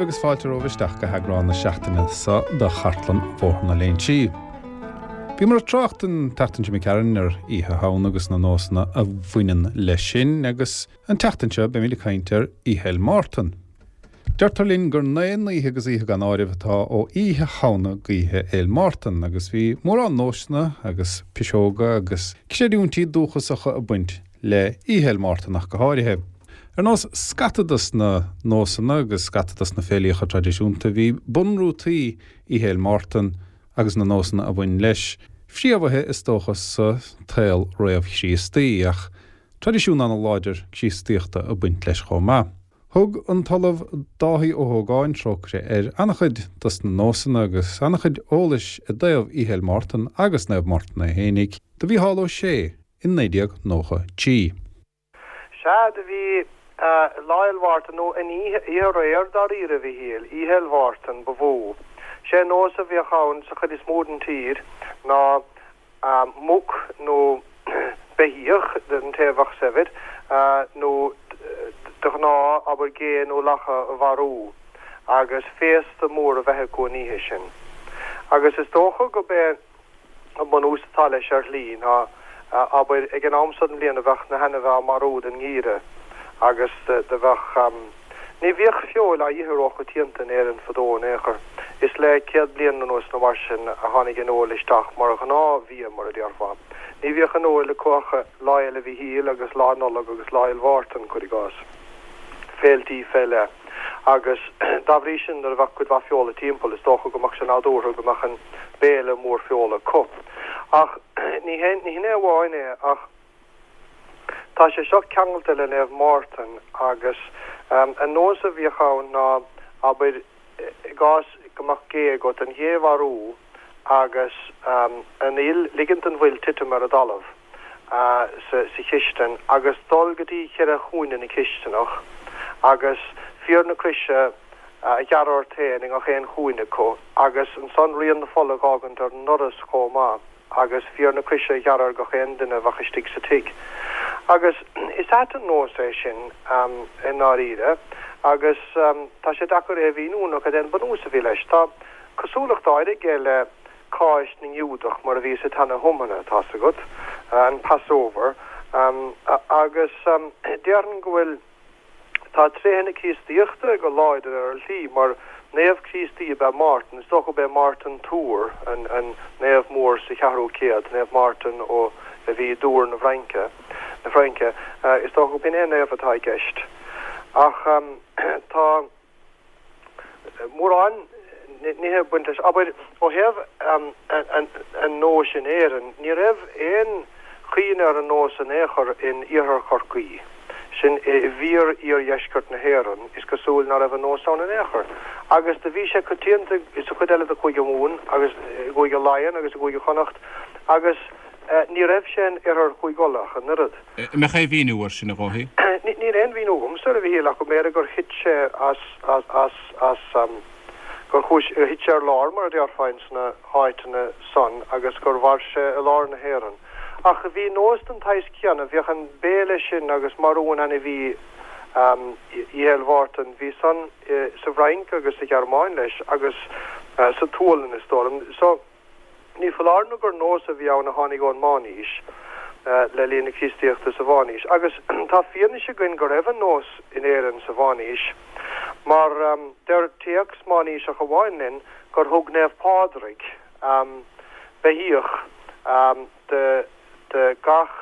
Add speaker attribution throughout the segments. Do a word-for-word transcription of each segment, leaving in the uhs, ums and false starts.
Speaker 1: daoibh agus fáilte romhaibh isteach go heagrán na seachtaine seo de Chartlann Bhóthar na Léinsí. Bhíomar ag trácht an tseachtain seo imigh tharainn ar Oíche Shamhna agus na nósanna a bhaineann leis sin agus an tseachtain seo beimid ag caint ar Oíche Fhéil Mártan. Deirtear linn gur naoi n-oíche agus oíche gan áireamh atá ó Oíche Shamhna go hOíche Fhéil Mártan agus bhí mórán nósanna agus piseoga agus creidiúintí dúchasacha ag baint le Oíche Fhéil Mártan ach go háirithe. Ar nós scata dos na nósanna agus scata dos na féilíocha traidisiúnta bhí bunrútaí Oíche Fhéil Mártan agus na nósanna a bhain leis fréamhaithe is dócha sa tsaol réamh-Chríostaí ach traidisiún an-láidir Críostaíochta ag baint leis chomh maith. Thug an tOllamh Dáithí Ó hÓgáin trócaire air an-chuid dos na nósanna agus an-chuid eolais i dtaobh Oíche Fhéil Mártan agus Naomh Mártan é fhéinig do Mhícheál Ó Sé in naoi déag nócha trí.
Speaker 2: Sea, do bhí Lá Fhéil Mhártan, nó an oíche aréir dáiríre, a Mhíchíl, Oíche Fhéil Mhártan ba mhó. Sé an nós a bhíodh ann sa chuid is mó den tír ná muc nó beithíoch, don té a bheadh saibhir, nó de ghnáth, abair, gé nó lacha a mharú agus féasta mór a bheith acu an oíche sin. Agus is dócha gurb é an bunús atá leis ar shlí ná, abair, ag an am so den bhliain a bheadh na hainmhithe á marú don ngeimhreadh agus do bheadh, ní bhíodh feoil á ithe róchoitianta in Éirinn fadó in aon chor. Is le céad bliain anuas nó mar sin a tháinig an fheoil isteach mar ghnáthbhia, mar a déarfá. Ní bhíodh an fheoil acu ach Lá Fhéile Mhichíl agus Lá Nollag agus Lá Fhéil Mhártan, cuir i gcás, féiltí fé leith. Agus dá bhrí sin nuair a bheadh cuid mhaith feola timpeall, is dócha go mbeadh sé nádúrtha go mbeadh an béile mór feola acu. Ach ní hin é amháin é, ach tá sé seo ceangailte le Naomh Mártan agus an nós a bhíodh ann ná, abair, i gcás go mbeadh gé agat, an ghé a mharú agus an fhuil, ligint don bhfuil titim ar an dtalamh sa chistin agus dul go dtí cheithre chúinne na cisteanach agus fíor na croise a ghearradh ort féin i ngach aon chúinne acu agus ansan rian na fola a dh'fhágaint ar an ndoras chomh maith agus fíor na croise a ghearradh ar gach aon duine a bheadh istigh sa tigh. Agus is ait an nós é sin i ndáiríre agus tá sé deacair é a mhíniú nó cad é an bunús a bhí leis. Tá cosúlacht áirithe aige le Cáisc na nGiúdach mar a bhí sa tSeana-Thiomna, tá's agat, an Passover, agus déarfainn go bhfuil, tá tréithe na Críostaíochta go láidir ar shlí, mar naomh Críostaí ab ea Mártan, is dócha gurb é Mártan Tours an naomh mór sa cheathrú céad, Naomh Mártan ó a bhí i dTours na bhFraince, na Fraince, is dócha gurb in é an naomh atá i gceist. Ach tá mórán nithe ag baint leis. Abair, ó thaobh an nóis in Éirinn, ní raibh aon chuimhne ar an nós in aon chor in iarthar Chorcaí, sin i bhfíor-iardheisceart na hÉireann, is cosúil ná raibh an nós ann in aon chor. Agus do bhí sé coitianta sa chuid eile de Chúige Mumhan agus i gCúige Laighean agus i gCúige Chonnacht agus ní raibh sé in oirthear Chúige Uladh ach an oiread.
Speaker 3: An mbeadh aon mhíniú air sin, a Dháithí?
Speaker 2: Níl aon mhíniú agamsa air, a Mhíchíl, ach go mb'fhéidir gur thit sé as, as, as, as, gur chuaigh, gur thit sé ar lár, mar a déarfá, ins na háiteanna san agus gur mhair sé i lár na hÉireann. Ach bhí nós den tsaghas céanna, bhíodh an béile sin agus marú an ainmhí Oíche Fhéil Mhártan, bhí san sa bhFrainc agus sa Ghearmáin leis agus sa tSualainn is dóigh liom. So, ní foláir nó gur nós a bhí ann a tháinig ón Meánaois, le linn na Críostaíochta sa Mheánaois. Agus tá fianaise againn go raibh an nós in Éirinn sa Mheánaois, mar deir téacs meánaoiseach amháin linn gur thug Naomh Pádraig beithíoch do gach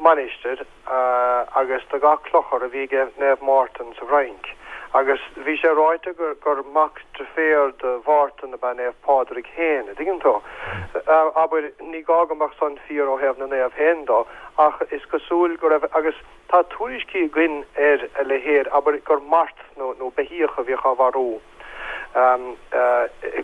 Speaker 2: mainistir agus do gach clochar a bhí ag Naomh Mártan sa bhFrainc. Agus bhí sé ráite gur mac deirféar do Mhártan ab ea Naomh Pádraig féin, a' dtuigeann tú. Abair, ní gá go mbeadh san fíor ó thaobh na naomh féin dó, ach is cosúil go raibh, agus tá tuairiscí againn ar a leithéid, abair, gur mart nó nó beithíoch a bhíodh á mharú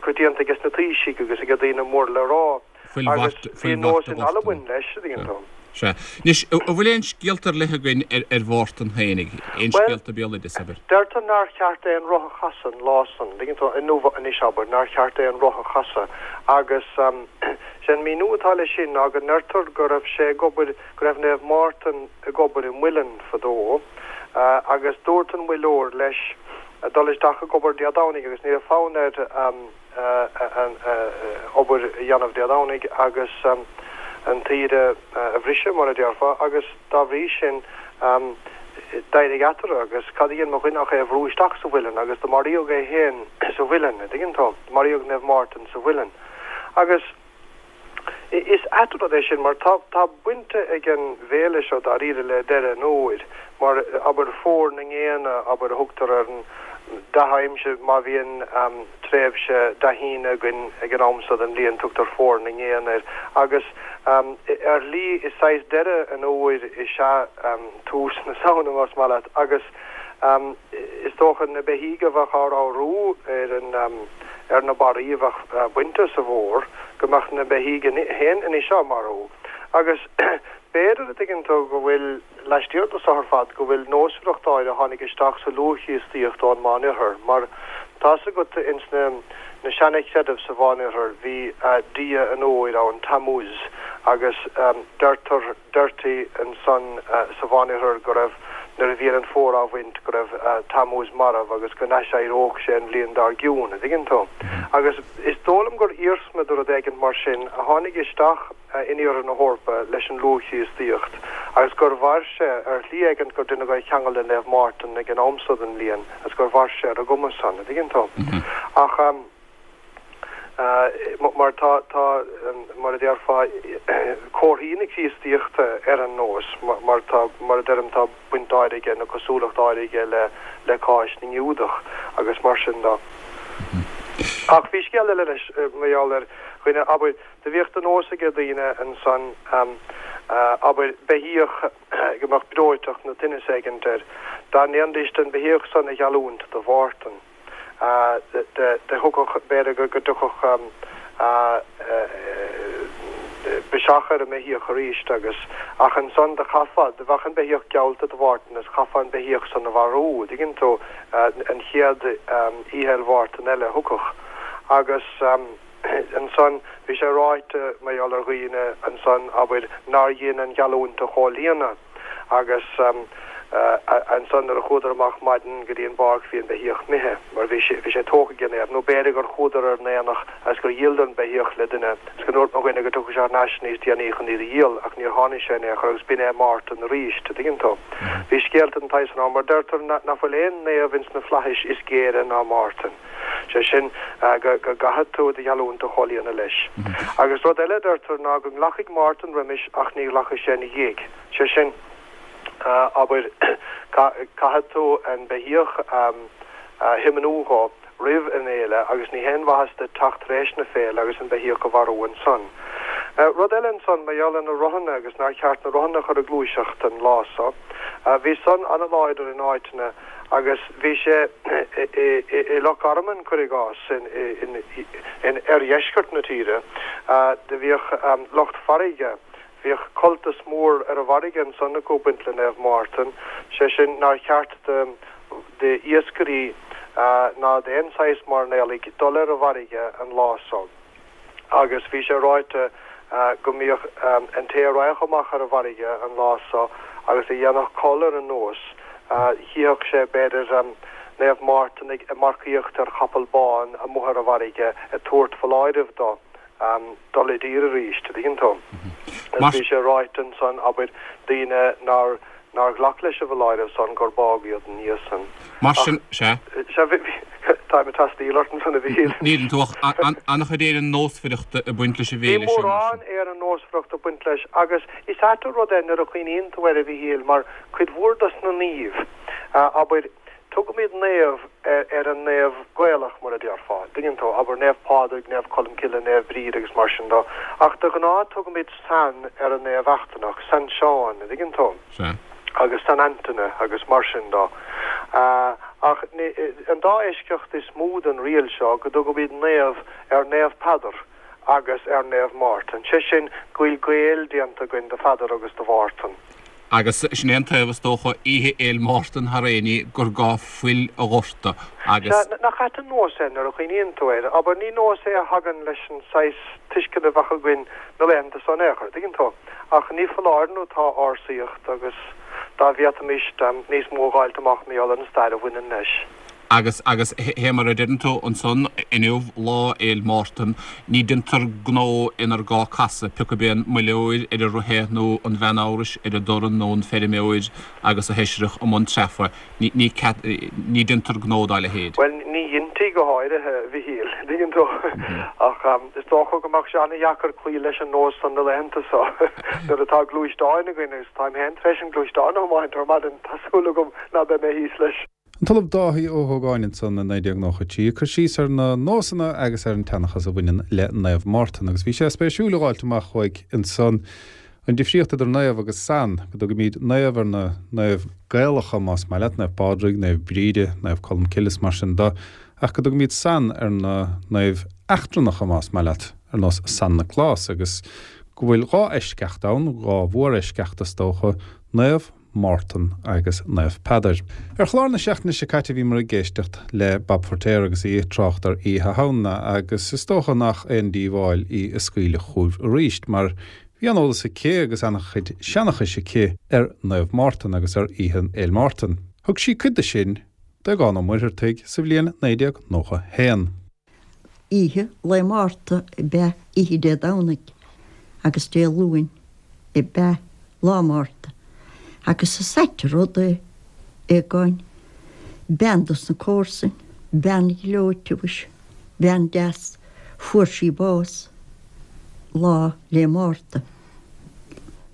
Speaker 2: coitianta aige sna taoisigh agus ag daoine mór le rá.
Speaker 3: Fuil
Speaker 2: Agus
Speaker 3: mhart,
Speaker 2: bhí
Speaker 3: fuil
Speaker 2: nós
Speaker 3: mhart a
Speaker 2: in
Speaker 3: Mhártain.
Speaker 2: Albain leis, a dtuigeann tú.
Speaker 3: Sea. Anois, an bhfuil aon scéalta ar leith againn ar ar Mhártan fhéinig? Aon
Speaker 2: Bhuel,
Speaker 3: scéalta béaloidis, abair?
Speaker 2: deirtear nár cheart aon roth a chasadh an lá san, dtuigeann tú, inniu anois, abair, nár cheart aon roth a chasadh agus sé an míniú atá leis sin ná go ndeirtear go raibh sé ag obair, go raibh Naomh Mártan ag obair i muileann fadó agus dúirt an muilleoir leis dul isteach ag obair Dé Domhnaigh agus ní raibh fonn air an obair a dhéanamh Dé Domhnaigh agus an tsaoire a bhriseadh, mar a déarfá, agus dá bhrí sin d'éirigh eatarthu agus cad a dhein mo dhuine ach é a bhrú isteach sa mhuileann agus do maraíodh é féin sa mhuileann, an dtuigeann tú, maraíodh Naomh Mártan sa mhuileann. Agus. Is ait an rud é sin mar tá tá baint ag an bhféile seo dáiríre le deireadh an fhómhair mar abair fómhar na ngéanna abair a thugtar ar an dea-aimsir má bhíonn tréimhse dea-shíne againn ag an am seo den bhliain tugtar fómhar na ngéanna air agus ar shlí is saghas deireadh an fhómhair is ea tús na Samhna más maith leat agus Is dócha na beithígh a bheadh á ramhrú ar an ar na barraí a bheadh bainte sa bhfómhar, go mbeadh na beithígh féin anois á marú. Agus b'fhéidir, a dtuigeann tú, go bhfuil, laistiar de so ar fad, go bhfuil nósmhaireacht áirithe a tháinig isteach sa luath-Chríostaíocht ón Meánoirthear, mar tá's agat ins na na seana-chreidimh sa Mheánoirthear bhí dia an fhómhair ann, Tammuz, agus deirtear, deirtí ansan sa Mheánoirthear go raibh, nuair a bhíonn an fómhar á bhaint, go raibh Tammuz marbh agus go n-aiséireodh sé an bhliain dár gcionn, a' dtuigeann tú. Agus is dóigh liom gur iarsma de rud éigint mar sin a tháinig isteach in iarthar na hEorpa leis an luath-Chríostaíocht agus gur mhair sé, ar shlí éigint, gur deineadh é a cheangal le Naomh Mártan ag an am so den bhliain agus gur mhair sé ar an gcuma san, a' dtuigeann tú. Ach. Mar tá, tá, mar a déarfá, comharthaí na Críostaíochta ar an nós, mar tá, mar a deirim, tá baint áirithe nó cosúlacht áirithe le, le Cáisc na nGiúdach agus mar sin de. Ach bhí scéal eile leis mar gheall ar dhuine, abair, do bhíodh de nós aige daoine ansan, abair, beithíoch go mbeadh breoiteacht nó tinneas éigint air, dá ndéanfaidís an beithíoch san a gheallúint do Mhártan. Do thiocfadh, b'fhéidir go dtiocfadh biseach ar an mbeithíoch arís agus, ach ansan do chaithfeá, do bheadh an beithíoch geallta do Mhártan is chaithfeá an beithíoch san a mharú, a dtuigeann tú, an chéad Oíche Fhéil Mhártan eile a thiocfadh. Agus ansan bhí sé ráite mar gheall ar dhaoine ansan, abair, nár dhein an gheallúint a chomhlíonadh. Agus ansan nuair a chuadar amach maidin go dtí an bpáirc bhí an beithíoch imithe, mar bhí sé, bhí sé tógtha ag an naomh, nó b'fhéidir gur chuadar ar an aonach agus gur dhíoladar an beithíoch le duine agus go ndúirt mo dhuine go dtiocfadh sé thar n-ais níos déanaí chun iad a dhíol ach níor tháinig sé in aon chor agus b'in é Mártan arís, a dtuigeann tú. Bhí scéalta den tsaghas san ann, mar deirtear nach bhfuil aon naomh ins na flaithis is géire ná Mártan. Sé sin, go gcaithfidh tú do gheallúint a chomhlíonadh leis. Agus rud eile a deirtear ná go nglacfaidh Mártan roimis ach ní ghlacfaidh sé ina dhiaidh. Sé sin, abair, caithfidh tú an beithíoch a thiomnú dhó roimh an fhéile agus ní haon mhaitheas duit teacht tar éis na féile agus an beithíoch a mharú ansan. Rud eile ansan, mar gheall ar na rothanna agus nár cheart na rothanna a chur ag gluaiseacht an lá so, bhí san an-láidir in áiteanna agus bhí sé i Loch Garman, cuir i gcás, in oirdheisceart na tíre, do bhíodh lucht farraige, bhíodh cultas mór ar an bhfarraige ansan acu ag baint le Naomh Mártan, sé sin nár cheart d'iascairí ná d'aon saghas mairnéalaigh dul ar an bhfarraige an lá so. Agus bhí sé ráite go mbíodh an té a raghadh amach ar an bhfarraige an lá so agus a dhéanfadh col ar an nós, chífeadh sé, b'fhéidir, Naomh Mártan ag marcaíocht ar chapall bán amuigh ar an bhfarraige ag tabhairt foláirimh dó dul i dtír arís, a dtuigeann tú. Agus bhí sé ráite ansan, abair, daoine nár nár ghlac leis an bhfoláireamh san gur bádh iad ina dhiaidh san.
Speaker 3: Mar sin, sea.
Speaker 2: Sea, bhí, táim ag teastaíl ort ansan a Mhichíl.
Speaker 3: Níl tú ach an-chuid aoir nósmhaireachta ag baint leis an
Speaker 2: Bhí
Speaker 3: bhféile sin, mar
Speaker 2: mórán
Speaker 3: sin.
Speaker 2: aoir nósmhaireachta ag baint leis agus is ait an rud é nuair a chuimhníonn tú air a Mhichíl mar cuid mhór dos na naoimh, abair, Tugaimid naomh ar an naomh Gaelach, mar a déarfá, dtuigeann tú, abair Naomh Pádraig, Naomh Colmcille, Naomh Bríd agus mar sin de, ach de ghnáth tugaimid San ar an naomh eachtrannach, San Seán, an dtuigeann tú,
Speaker 3: Sea.
Speaker 2: agus San Antaine agus mar sin de. Ach an dá eisceacht is mó den riail seo, go dtugaimid naomh ar Naomh Peadar agus ar Naomh Mártan, sé sin go bhfuil Gael déanta againn de Pheadar agus de Mhártan.
Speaker 3: Agus sin é an taobh, is dócha, Oíche Fhéil Mártan thar aon ní, gur gá fuil a dhoirteadh agus.
Speaker 2: Sea, nach ait an nós é nuair a chuimhníonn tú air. Abair, ní nós é a thagann leis an saghas tuisceana a bheadh againn na laethanta so in aon chor, dtuigeann tú. Ach ní foláir nó tá ársaíocht agus dá bhféadfaimis níos mó a dh'fháilt amach mar gheall ar an stair a bhaineann leis.
Speaker 3: Agus agus fé mar a deireann tú ansan inniu Lá Fhéil Mártan, ní deintear gnó inar gá casadh, pioc ab é an muilleoir ar a rotha nó an bhean abhrais ar a dorn nó an feirmeoir agus a sheisreach i mbun treafa, ní ní cead ní deintear gnó dá leithéid.
Speaker 2: Bhuel, ní dheintí go háirithe, a Mhichíl, dtuigeann tú, ach is dócha go mbeadh sé an-dheacair cloí leis an nós san na laethanta so nuair atá gluaisteáin againn agus táim féin tar éis an gluaisteán a thiomáint ar maidin, tá súil agam ná beidh mé thíos leis.
Speaker 1: An tOllamh Dáithí Ó hÓgáin ansan i naoi déag nócha trí ag cur síos ar na nósanna agus ar an tseanchas a bhaineann le Naomh Mártan agus bhí sé spéisiúil a dh'fháilt amach uaidh ansan an difríocht idir Naomh agus San, go dtugaimíd Naomh ar na naoimh Gaelacha más maith leat, Naomh Pádraig, Naomh Bríde, Naomh Colm Cille is mar sin de, ach go dtugaimíd San ar na naoimh eachtrannacha más maith leat, ar nós San Nioclás agus go bhfuil dhá eisceacht ann, dhá mhóreisceacht is dócha, Naomh Mártan agus Naomh Peadar. Ar chlár na seachtaine seo caite bhíomar ag éisteacht le Bob Feiritéar agus í ag trácht ar Oíche Shamhna agus is dócha nach aon díobháil í a scaoileadh chugaibh arís mar bhí an-eolas aici agus an-chuid seanchais aici ar Naomh Mártan agus ar Oíche Fhéil Mártan. Thug sí cuid de sin d'Aogán Ó Muircheartaigh sa bhliain naoi déag nócha haon.
Speaker 4: Oíche Lae Márta ab ea oíche Dé Domhnaigh agus Dé Luain ab ea Lá Márta agus is ait an rud é, Aogáin, bean dos na comharsain, bean ghleoite mhuise, bean deas, fuair sí bás Lá 'le Márta,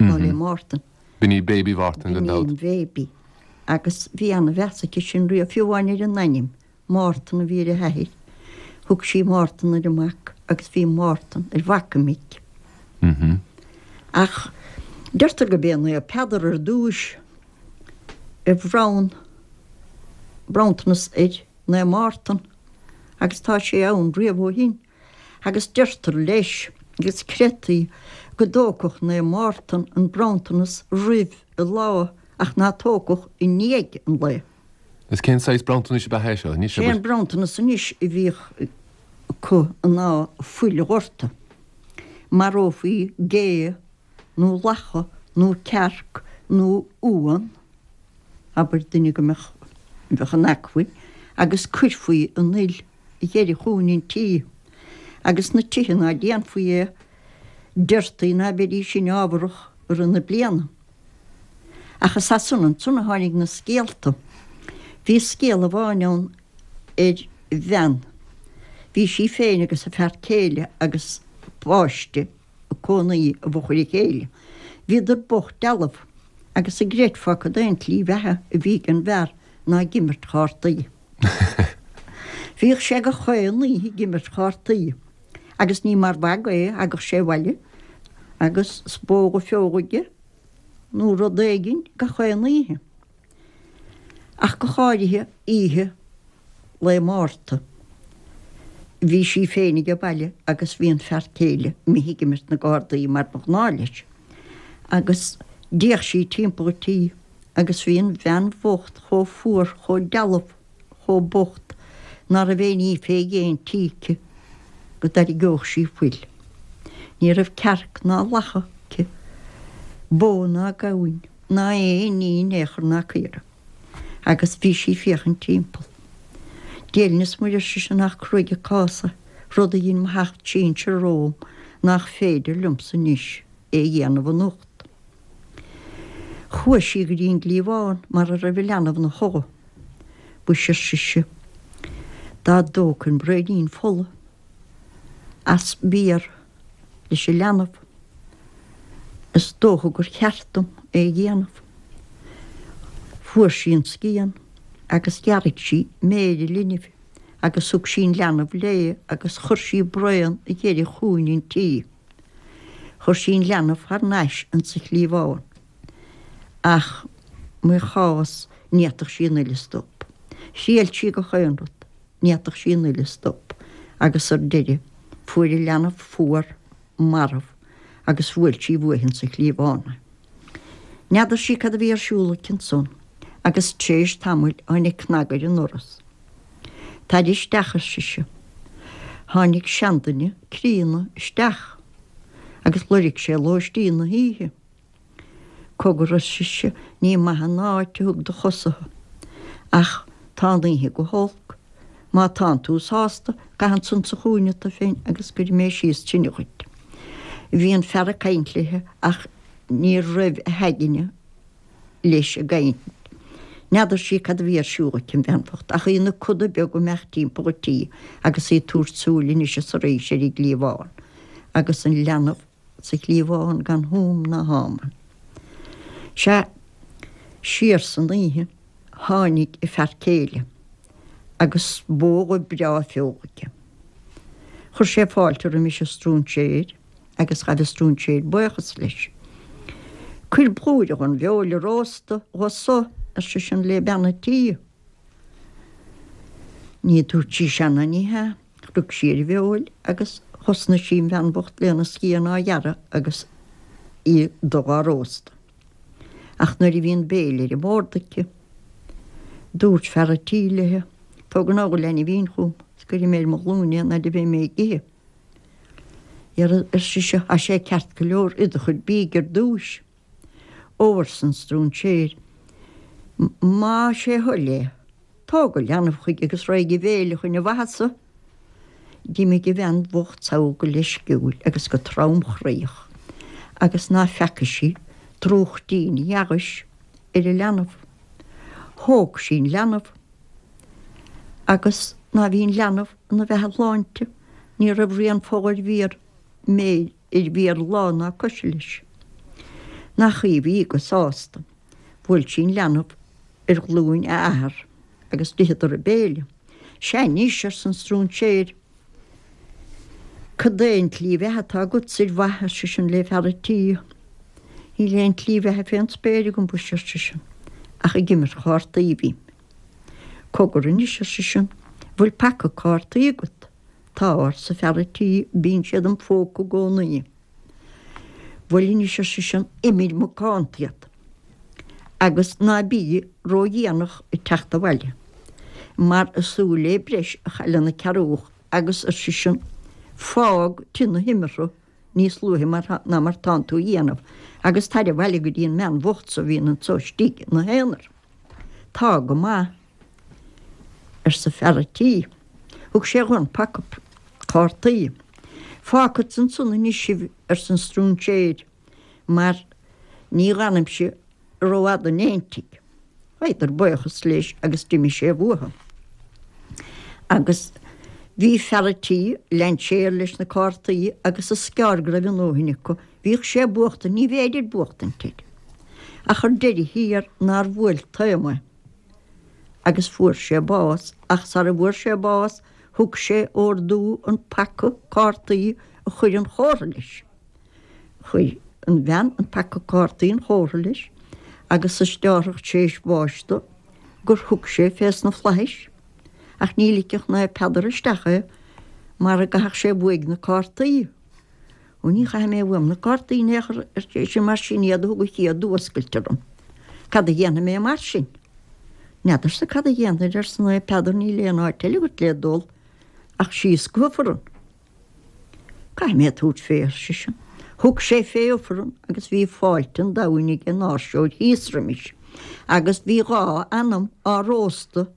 Speaker 4: Lá 'le Mártan.
Speaker 5: B'in í Baby Mhártain gan
Speaker 4: B'in í
Speaker 5: dabht.
Speaker 4: an Bhaby. Agus bhí ana-mheas aici sin riamh, fiú amháin ar an ainm, Mártan a bhí ar a hathair. Thug sí Mártan ar a mac agus bhí Mártan ar mhac a mic. Ach deirtear gurb é Naomh Peadar ar dtúis a bhronn bronntanas ar Naomh Mártan agus tá sé ann riamh ó shin. Agus deirtear leis, agus creidtí, go dtógfadh Naomh Mártan an bronntanas roimh an lá ach ná tógfadh i ndiaidh an lae.
Speaker 5: Is cén saghas bronntanais ab ea é seo? Anois,
Speaker 4: Sé an bronntanas anois a bhíodh acu ná fuil a dhortadh. Marófaí gé nó lacha nó cearc nó uan, abair duine go mbeadh bheadh in acmhainn, agus cuirfí an fhuil i gceithre chúinne an tí. Agus na tithe ná déanfaí é, deirtí ná beidís in ámharach i rith na bliana. Ach is as san ansan a tháinig na scéalta. Bhí scéal amháin ann ar bhean. Bhí sí féin agus a fear céile agus páiste ag cónaí i bhfochair a chéile. Bhíodar bocht dealbh agus an gcreidfeá cad é an tslí bheatha a bhí ag an bhfear ná ag imirt chártaí. Bhíodh sé gach aon oíche ag imirt chártaí agus ní mar mhagadh é a thagadh sé abhaile agus spóga feoga aige nó rud éigin gach aon oíche. Ach go háirithe oíche Lae Márta. Bhí sí féin age baile agus bhí an fear céile imithe ag imirt na gcárdaí mar ba ghnáth leis. Agus d'fhéach sí timpeall an tí agus bhí an bhean bhocht chomh fuar, chomh dealbh, chomh bocht ná raibh aon ní fé dhéin tí aici go dtairgeodh sí fuil. Ní raibh cearc ná lacha aici, bó ná gamhain, ná aon ní in aon chor ná caora. Agus bhí sí ag féachaint timpeall. Dia linn is Muire, ar sise, nach cruaidh an cás é, rud a dhein mo sheacht sinsear romham nach féidir liomsa anois é a dhéanamh anocht. Chuaigh sí go dtí an gcliabhán mar a raibh an leanbh 'na chodladh. Mhuise, ar sise, dá dtógfainn braoinín fola as bior leis an leanbh, is dócha gur cheart dom é a dhéanamh. Fuair sí an scian agus ghearraigh sí méir an linbh agus thug sí an leanbh léi agus chuir sí braon i gceithre chúinne an tí. Chuir sí an leanbh thar n-ais insa chliabhán. Ach mo chás, ní fhéadfadh sí an fhuil a stop. Thriail sí gach aon rud, ní fhéadfadh sí an fhuil a stop. Agus ar deireadh, fuair an leanbh fuar, marbh, agus bhuail sí uaithi insa chliabhán é. N'fheadar sí cad a bhí ar siúl aici ansan, agus tar éis tamaill tháinig cnag ar an ndoras. Tar isteach, ar sise. Tháinig seanduine críonna isteach, agus loirg sé lóistín na hoíche. Cogar, ar sise, ní maith an áit a thug do chosa thú, ach tá an oíche go holc. Má tánn tú sásta, gabh ansan sa chúinne tú féin agus cuirfidh mé síos tine dhuit. Bhí an fear ag caint léithe ach ní raibh a haigne leis an gcaint. N'fheadar sí cad a bhí ar siúl aici, an bhean bhocht, ach í ina coda beag ag imeacht timpeall an tí agus í ag tabhairt súil anois is arís ar an gcliabhán agus an leanbh sa chliabhán gan húm ná hámann. Sea, siar san oíche tháinig a fear céile agus bó dhubh breá feola aige. Chuir sé fáilte roimis an stróinséir agus ghabh an stróinséir buíochas leis. Cuir blúire dhon bhfeoil a róstadh dhomh-sa, ar seisean le bean a' tí. Ní dúirt sí sea ná ní hea. Rug sí ar an bhfeoil agus thosnaigh sí an bhean bhocht lena scian á ghearradh agus í dubh á róstadh. Ach nuair a bhí an béile ar an mbord aici, dúirt fear a' tí léi, Tóg anall an leainbhín chugam is cuirfidh mé ar mo ghlúine é an fhaid a bheidh mé ag ithe. Dhera, ar sise, tá sé ceart go leor, ith do chuid bídh ar dtúis. Ó, arsa an stróinséir, más é a thoil é, tóg an leanbh chuige agus raghaidh a bhéile chun a mhaitheasa. D'imigh an bhean bhocht sall go leisciúil agus go tromchroíoch agus ná feaca sí drúchtín dheaghaise ar an leanbh. Thóg sí an leanbh agus ná bhí an leanbh ina bheatha shláinte, ní raibh rian fola ar mhéar méir ar mhéar lámh ná coise leis. Nach í a bhí go sásta. Bhuail sí an leanbh ar ghlúin a athar agus d'itheadar a béile. Sea anois, arsa an stróinséir, cad é an tslí bheatha atá agatsa ar mhaith, ar seisean le fear a' tí. Níl aon tslí bheatha fén spéir agam, mhuise, ar seisean, ach ag imirt chártaí a bhím. Cogar anois, ar seisean, bhfuil paca cártaí agat? Tá, arsa fear a' tí, bíonn siad im phóca i gcónaí. Bhuel anois, ar seisean, imir macánta iad, agus ná bí ródhéanach ag teacht abhaile, mar is súil le breis a chailleann an cearrbhach agus, ar seisean, fág tigh na himeartha níos luaithe mar ná mar tánn tú a dhéanamh, agus tar abhaile go dtí an mbean bhocht so a bhíonn anso istigh ina haonar. Tá go maith, arsa fear a' tí. Thug sé dhó an paca cártaí. Fágfadsa ansan anois sibh, arsa an stróinséir, mar ní dh'fhanaimse rófhada in éintigh. Ghabhadar buíochas leis agus d'imigh sé uathu. Agus bhí fear a' tí, lean sé air leis na cártaí agus is gearr go raibh a ndóthain acu. Bhíodh sé ag buachtaint, ní bhféidir buachtaint air. Ach ar deireadh thiar nár bhuail taom é agus fuair sé bás, ach sara bhfuair sé bás thug sé ordú an paca cártaí a chur 'un chomhartha leis. Chuir an bhean an paca cártaí 'un chomhartha leis agus is deárthach tar éis bháis dó gur thug sé fés na flaithis, ach ní ligfeadh Naomh Peadar isteach é mara gcaithfeadh sé uaidh na cártaí. Ó ní chaithfidh mé uaim na cártaí in aon chor, ar seisean, mar sin iad a thug an chéad fhuascailt orm. Cad a dhéanfaidh mé mar sin? N'fheadarsa cad a dhéanfair, arsa Naomh Peadar, níl aon áit eile agat le dul ach síos go hIfreann. Caithfidh mé tabhairt fé, ar seisean. Thug sé fé Ifreann agus bhí fáilte an domhain ag an áirseoir thíos roimis, agus bhí dhá anam á róstadh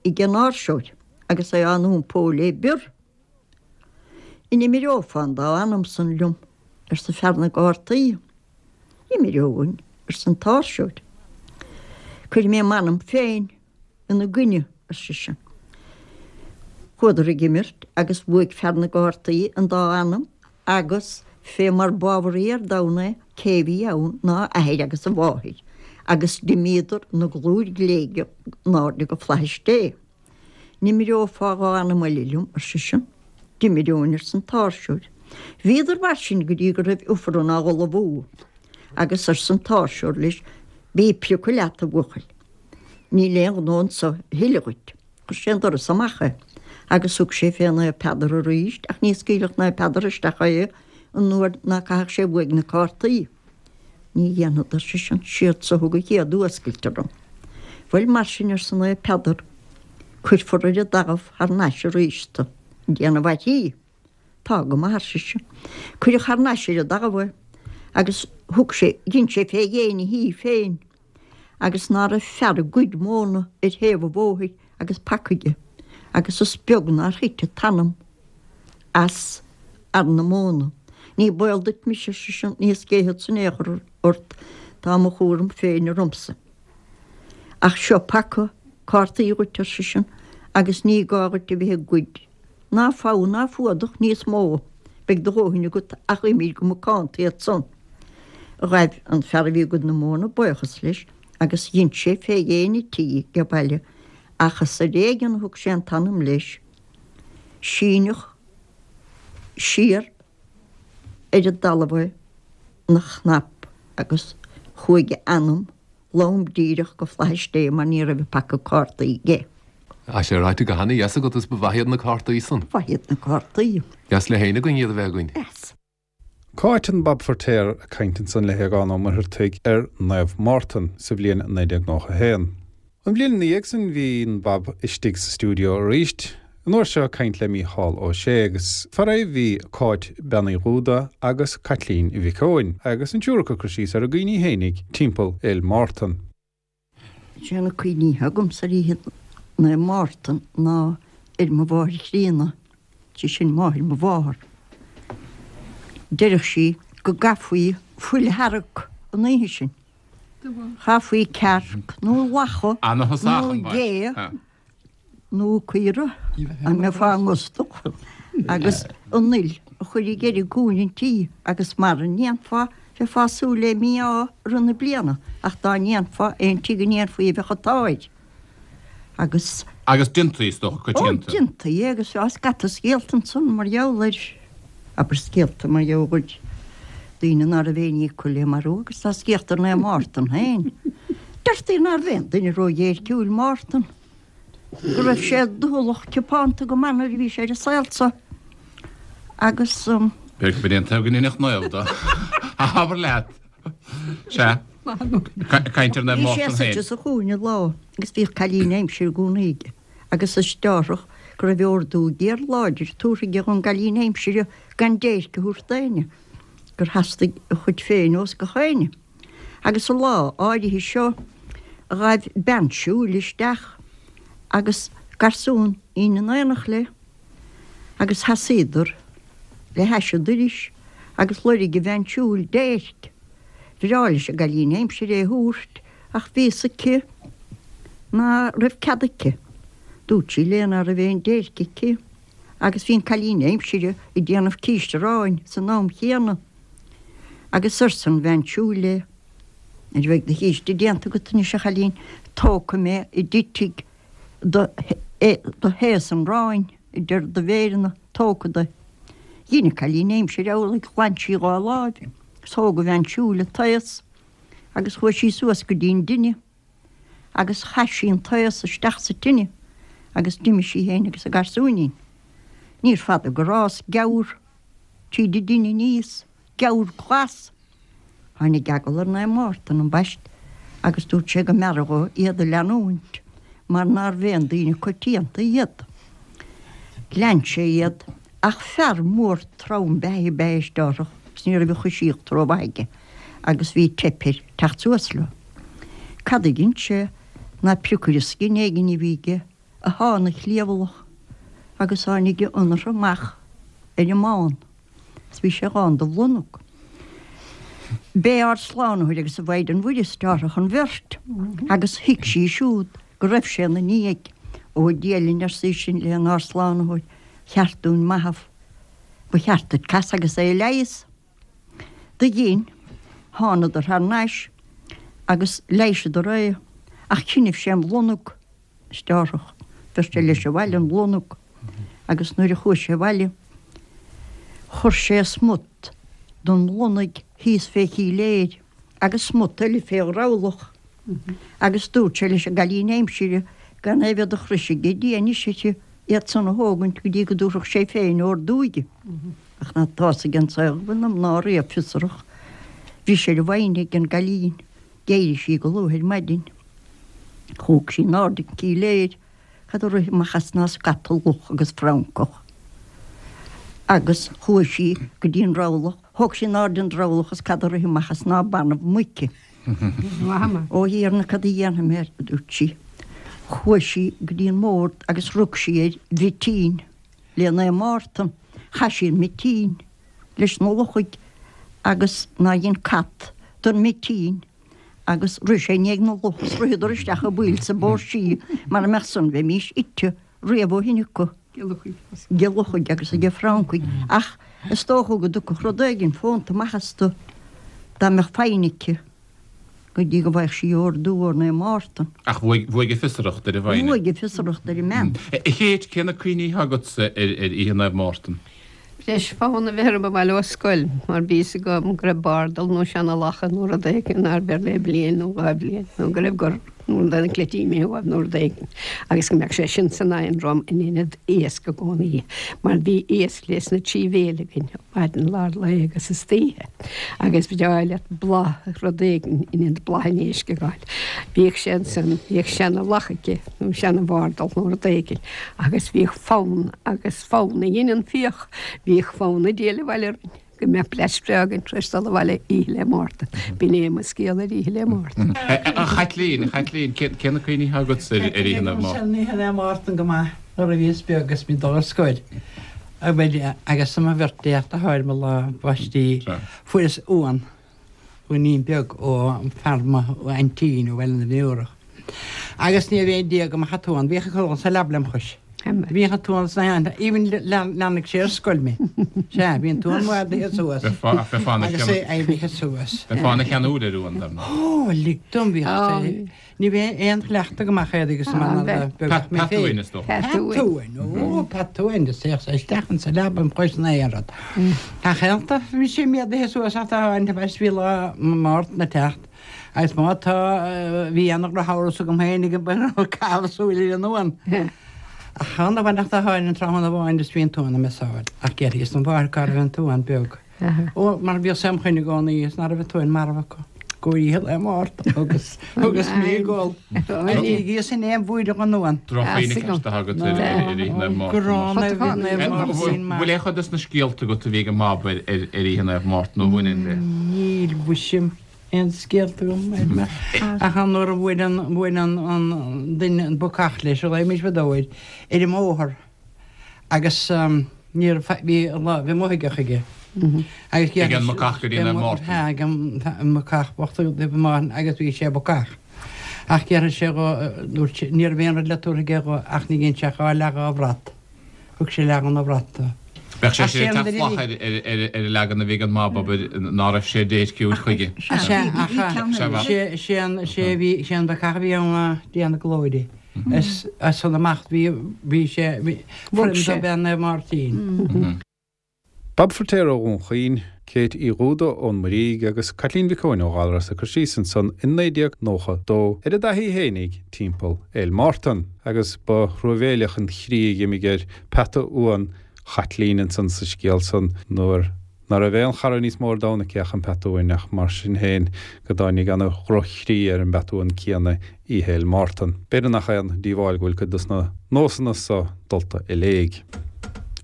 Speaker 4: ag an áirseoir agus é á n-iompó le bior. An imireofá an dá anam san liom? arsa fear na gcártaí. Imireoinn, arsa an t-áirseoir. Cuirfidh mé m'anam féin ina gcoinne, ar seisean. Chuadar ag imirt agus bhuaigh fear na gcártaí an dá anam agus, fé mar b'ábharaí ar domhan é, cé bhí ann ná a athair agus a mháthair, agus d'imíodar ina gclúir ghléigeal in airde go flaithis Dé. An imireofá dhá anam eile liom, ar seisean. D'imireoinn, arsa an t-áirseoir. Bhíodar mar sin go dtí go raibh Ifreann á ullmhú, agus arsa an t-áirseoir leis, Bí ag priocadh leat, a bhuachaill. Níl aon ghnó anso a thuilleadh dhuit. Chuir sé an doras amach é, agus thug sé fé Naomh Peadar arís, ach ní scaoilfeadh Naomh Peadar isteach é an uair ná caithfeadh sé uaidh na cártaí. Ní dhéanfad, ar seisean, siad so thug an chéad fhuascailt orm. Bhuel, mar sin, arsa Naomh Peadar, cuirfear ar an dtalamh thar n-ais arís tu, ag déanamh faitíos. Tá go maith, ar seisean. Cuireadh thar n-ais ar an dtalamh é, agus thug sé, dhein sé fé dhéin a thí féin, agus ná raibh fear ag goid móna ar thaobh an bhóthair agus paca aige, Agus is beag nár thit an t-anam as fhear na móna. Ní baol duit mise, ar seisean, ní scaoilfeadsa in aon chor ort, tá mo chúram féin ormsa. Ach seo paca cártaí dhuit, ar seisean, agus ní gá dhuit a bheith ag goid ná fogha ná fuadach níos mó, beidh do dhóthain agat ach imir go macánta iad san. Ghaibh an fear a bhí ag goid na móna buíochas leis agus dhein sé fé dhéin an tí age baile ach is ar éigean a thug sé an t-anam leis. Síneadh siar ar an dtalamh é 'na chnap agus chuaigh a anam lom díreach go Flaithis Dé mar ní raibh an paca cártaí aige.
Speaker 5: Tá sé ráite go hana-dheas agat is ba mhaith iad na cártaí san.
Speaker 4: Ba mhaith iad na cártaí.
Speaker 5: Deas le héinne againn iad a bheith againn.
Speaker 4: Deas.
Speaker 1: Cáit an Bhab Feirtéar ag caint ansan le hAogán Ó Muircheartaigh ar Naomh Mártan sa bhliain naoi déag nócha a haon. An bhliain ina dhiaidh sin bhí an Bhab istigh sa stiúideo arís, an uair seo ag caint le Mícheál Ó Sé agus fara bhí Cáit Bean Uí Dhúda agus Caitlín Mhic Eoin agus an triúr acu ag cur síos ar a gcuimhní fhéinig timpeall Fhéil Mártan.
Speaker 4: Sé na cuimhní agamsa ar oíche Naomh Mártan ná ar mo mháthair chríonna, sé sin máthair mo mháthar. Deireadh sí go gcaithfí fuil shearg an oíche sin. Chaithfí cearc nó lacha nó gé nó caora dá mbeifeá gustach agus an fhuil a chur i gceithre cúinne an tí agus mara ndéanfá bheifeá ag súil le mí-ádh i rith na bliana ach dá ndéanfá aon tigh a ndéanfaí bheadh an t-ádh air. Agus.
Speaker 3: Agus déantaí, is dócha, coitianta.
Speaker 4: Ó, déantaí é agus bheadh scata scéalta ansan mar gheall air, abair scéalta mar gheall ar daoine ná raibh aon ní acu le marú agus tá scéalta ar Naomh Mártan féin. Deirtí nárbh aon duine ró-dhéirciúil Mártan, go raibh sé doicheallach ciapánta go maith nuair a bhí sé ar an saol so agus.
Speaker 3: B'fhéidir go ndéanfaí go ndéanfadh naomh dó. Abair leat. Sea. Caint ar Naomh
Speaker 4: Bhí sé
Speaker 3: Mártan féin.
Speaker 4: suite sa chúinne lá agus bhíodh cailín aimsire i gcónaí aige agus is dearthach go raibh ordú géar láidir tabhartha aige dhon gcailín aimsire gan déirc a thabhairt d'éinne, gur theastaigh a chuid féin ós gach éinne. Agus an lá áirithe seo ghaibh bean siúil isteach agus garsún in aonacht léi agus sheasaíodar le hais an dorais agus loirg an bhean siúil déirc. Bhreá leis an gcailín aimsire é a thabhairt ach bhí fhios aici ná raibh cead aici. Dúirt sí léi ná raibh aon déirc aici agus bhí an cailín aimsire ag déanamh císte aráin san am chéanna. Agus arsa an bhean siúil léi, Nuair a bheidh do chíste déanta agat anois, a chailín, tógfaidh mé a dtitfidh do thaos an aráin idir do mhéireanna, tógfad é. Dhein an cailín aimsire amhlaidh, ghlan sí dhá láimh agus thóg an bhean siúil an taos agus chuaigh sí suas go dtí an dtine agus chaith sí an taos isteach sa tine agus d'imigh sí féin agus a garsúinín. Níor fada gur fhás geamhar tríd an dtine aníos, geamhar glas. Tháinig eagal ar Naomh Mártan ambaist agus dúirt sé go mb'fhearra dhó iad a leanúint mar nárbh aon daoine coitianta iad. Lean sé iad ach fear mór trom beathaithe ab ea é is dearthach agus ní raibh a choisíocht rómhaith aige agus bhí teip air teacht suas leo. Cad a dhein sé ná priocaire scine éigin a bhí aige a shá ina chliabhlach agus tháinig a ionair amach ar an mbán is bhí sé lán de bhlonag. B'é ár Slánaitheoir agus an Mhaighdean Mhuire is dearthach an bheirt agus thuig sí siúd go raibh sé ina ndiaidh. Ó a Dhia linn arsa í sin le ár Slánaitheoir, cheart dúinn maitheamh. Ba cheart duit casadh agus é a leigheas. Do dhein. Thánadar thar n-ais agus leighiseadar é ach chinnibh sé an bhlonag is dearthach. Bheir sé leis abhaile an bhlonag agus nuair a chuaigh sé abhaile chuir sé smut den bhlonag thíos fé shíléir agus smut eile fé dhrabhlach agus dúirt sé leis an gcailín aimsire gan é bheith de chrois ag Dia anois uirthi iad san a thógaint go dtí go dtabharfadh sé féin ordú di. Ach ná tá 'fhios ag an saol go bhfuil na mná riamh fiosrach. Bhí sé ar a mhaighne ag an gcailín. D'éirigh sí go luath ar maidin. Thóg sí in airde an cíléir. Cad a rith amach as ná scata luch agus francach. Agus chuaigh sí go dtí an drabhlach. Thóg sí in airde an drabhlach is cad a rith amach as ná banbh muice. Ó Thiarna cad a dhéanfaidh mé, a dúirt sí. Chuaigh sí go dtí an mbord agus rug sí ar mhitín le Naomh Mártan. Chaith sí an mitín leis na luchaigh agus ná dhein cat don mitín agus rith sé i ndiaidh na luch is ritheadar isteach i bpoill sa bpóirsí mara mbeadh san bheimís ite riamh ó shin acu. Ag luchaigh agus ag francaigh ach is dócha go dtiocfadh rud éigin fónta amach astu dá mbeadh foighne aici go dtí go bhfaigheadh sí ordú ó Naomh Mártan.
Speaker 3: Ach bhuaigh bhuaigh an fiosracht ar an bhfoighne.
Speaker 4: Bhuaigh an fiosracht ar an mbean.
Speaker 3: A Chéit, cé na cuimhní atá agatsa ar ar Oíche Naomh Mártan?
Speaker 6: Breis fonn a bheith orm abhaile ó scoil mar bhí fhios agam go raibh bardal nó seana-lacha nó rud éigin nár bheir le bliain nó dhá bhliain nó go raibh gur nó rud an cleití imithe uaidh nó rud éigin agus go mbeadh sé sin san oigheann romham in ionad iasc i gcónaí mar bhí iasc leis na trí bhéile againn maidin lár lae agus istoíche agus ba bhreá leat blas rud éigin in ionad blas an éisc a fháil. Bhíodh sé ansan, bhíodh seana-lacha aici nó seana-bhardal nó rud éigin agus bhíodh fonn agus fonn a dhein an fiach. Bhíodh fonn ag díol abhaile orainn go mbeadh blais bhreá againn tar éis dul abhaile Oíche 'le Mártan. B'in é mo scéal ar Oíche 'le Mártan.
Speaker 3: A Chaitlín, a Chaitlín, cé na cuimhní atá agatsa ar Oíche Naomh Mártan?
Speaker 7: Oíche Naomh Mártan go maith nuair a bhíos beag agus mé ag dul ar scoil. Agus mo bheirt deartháir mo lá baistí fuaireas uan. Uainín beag ó fear mo aintín ó Bhaile na Biorach. Agus ní raibh aon Dia go mbeadh an t-uan. Bhíodh ag codladh sa leaba lem chois. Bhíodh an t-uan sna haon, even leanfadh sé ar scoil mé. Sea, bhí an t-uan madaithe suas. Agus é éirithe suas.
Speaker 3: Bheifeá ina cheanúil ar uan, dar ndóigh.
Speaker 7: Ó, lig dom, bhíodh sé. Ní bheidh aon chleachtadh agam ach oiread agus mar a bheadh mé féin.
Speaker 3: Pat uain, is dócha.
Speaker 7: Pat uain, ó, pat uain, is théadh sé isteach insa leaba im chois in aon rud. Ach ionta, bhí sé méadaithe suas ach tá an bheis bhí lá Mártan ag teacht agus má tá, bhí ana-dhrochamhras agam féin ag an raibh caitheamh súil ar an uan. Ach chan amháin ach tá an tráthnóna amháin is bhí an t-uan i mo sáil ach d'fhiafraíos den mháthair cá raibh an t-uan beag. Ó, mar bhíodh sé im choinne i gcónaí is ná raibh an t-uan marbh acu. Go Oíche Lae Mártan agus agus mé ag gol. Ní bhíos in aon bhuaidreamh an uan.
Speaker 3: Droch-chuimhne ceart atá agat ar Oíche Naomh Mártan.
Speaker 7: Gránna a bhí Naomh Máirtín maith.
Speaker 3: Bhfuil aon chuid des na scéalta agat a bhí ag an mBab ar Oíche Naomh Mártan nó a bhaineann le.
Speaker 7: Níl mhuise aon scéalta agam ar mé. Ach an uair a bhuail an bhuail an an duine an bacach leis, a ghlaoimis fadó air, ar an mbóthar agus Ní raibh faic, bhí lá, bhí mothuigeach aige. Agus
Speaker 3: Ag an mbacach go dtí Naomh Mártan.
Speaker 7: Ag an mbacach bocht go dtí Naomh Mártan agus bhí sé bacach. Ach déarfaidh sé dho, dúirt sé, ní raibh aon rud le tabhairt aige dho ach ní dhein sé ach dhá leath dhá bhrat. Thug sé leath dhona bhrat dó.
Speaker 3: Bheadh sé sin ag teacht salach ar ar an leagan a bhí ag an mBab, abair, ná raibh sé déirciúil chuige.
Speaker 7: Sea, ach sé, sé an, sé a bhí, sé an bacach a bhí ann ná Dia na glóire. Is as san amach bhí, bhí sé, bhí,
Speaker 6: Bhog
Speaker 7: foirm
Speaker 6: sé.
Speaker 7: dob ea Naomh Máirtín.
Speaker 1: Bab Feiritéar ó Dhún Chaoin, Kate Uí Dhúda ón Muirígh agus Caitlín Mhic Eoin ó Ghallaras ag cur síos ansan in naoi déag nócha dó ar a dtaithí fhéinig timpeall Fhéil Mártan agus ba thruamhéileach an chroí a dh'imigh ar peata uan Chaitlín ansan sa scéal san nuair ná raibh aon chara níos mó ar domhan aici ach an peata uain ach mar sin féin go dtáinig ana dhroch-chroí ar an bpeata uan céanna Oíche Fhéil Mártan. B'fhéidir nach aon díobháil go bhfuil cuid dos na nósanna so dulta i léig.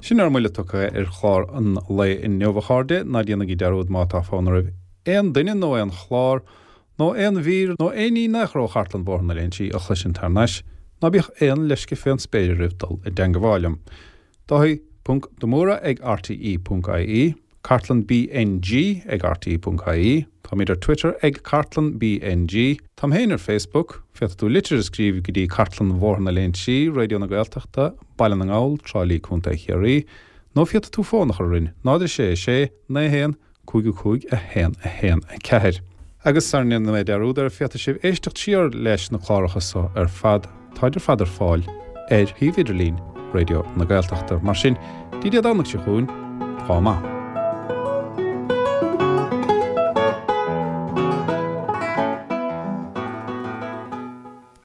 Speaker 1: Sin ár mbuille tugtha ar chlár an lae inniu, a chairde. Ná déanaigí dearúd má tá fonn oraibh aon duine nó aon chlár nó aon mhír nó aon ní in aon chor ó Chartlann Bhóthar na Léinsí a chloisint thar n-ais, ná bíodh aon leisce fén spéir oraibh dul i dteangabháil liom. Dáithí ponc de Mórdha ag rte ponc ie, Cartlann BNG ag rte ponc ie, Táimid ar Twitter ag Cartlann BNG, Táim féin ar Facebook, Féadfaidh tú litir a scríobh go dtí Cartlann Bhóthar na Léinsí, Raidió na Gaeltachta, Baile na nGall, Trá Lí, Contae Chiarraí, nó féadfaidh tú fón a chur orainn, náid a sé a sé, naoi a haon, cúig a cúig a haon a haon a ceathair. Agus sara ndéana mé dearúd air, féadfaidh sibh éisteacht siar leis na cláracha so ar fad, táid ar fad ar fáil ar shuíomh idirlín Raidió na Gaeltachta. Mar sin, dtí Dé Domhnaigh seo chugainn, ádh maith.